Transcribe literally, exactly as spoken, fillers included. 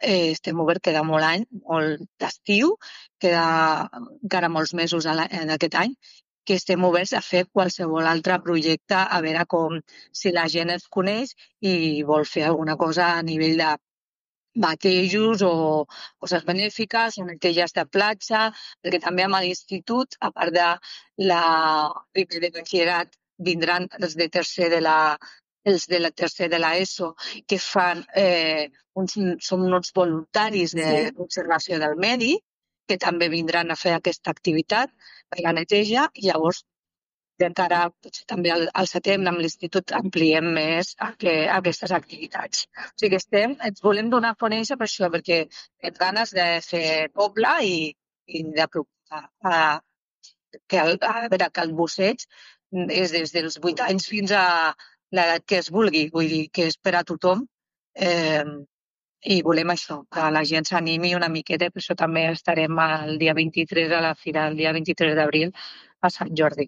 eh, estem oberts, queda molt any, molt d'estiu, queda encara molts mesos a la- en aquest any, que estem oberts a fer qualsevol altre projecte, a veure com, si la gent es coneix i vol fer alguna cosa a nivell de batejos o coses benèfiques o neteges de platja, perquè també amb l'institut, a part de la primer de batxillerat, vindran els de tercer de la els de la tercer de l'ESO, que fan eh, uns, són uns voluntaris de Sí. conservació del medi, que també vindran a fer aquesta activitat per la neteja, i llavors encara potser també al, al setembre amb l'institut ampliem més a que, a aquestes activitats. O sigui que estem, ens volem donar a conèixer per això, perquè tenim ganes de fer poble i, i d'apropar a, que el, a veure, que el busseig és des dels vuit anys fins a l'edat que es vulgui, vull dir que és per a tothom, eh, i volem això, que la gent s'animi una miqueta, per això també estarem el dia vint-i-tres a la fira, el dia vint-i-tres d'abril a Sant Jordi.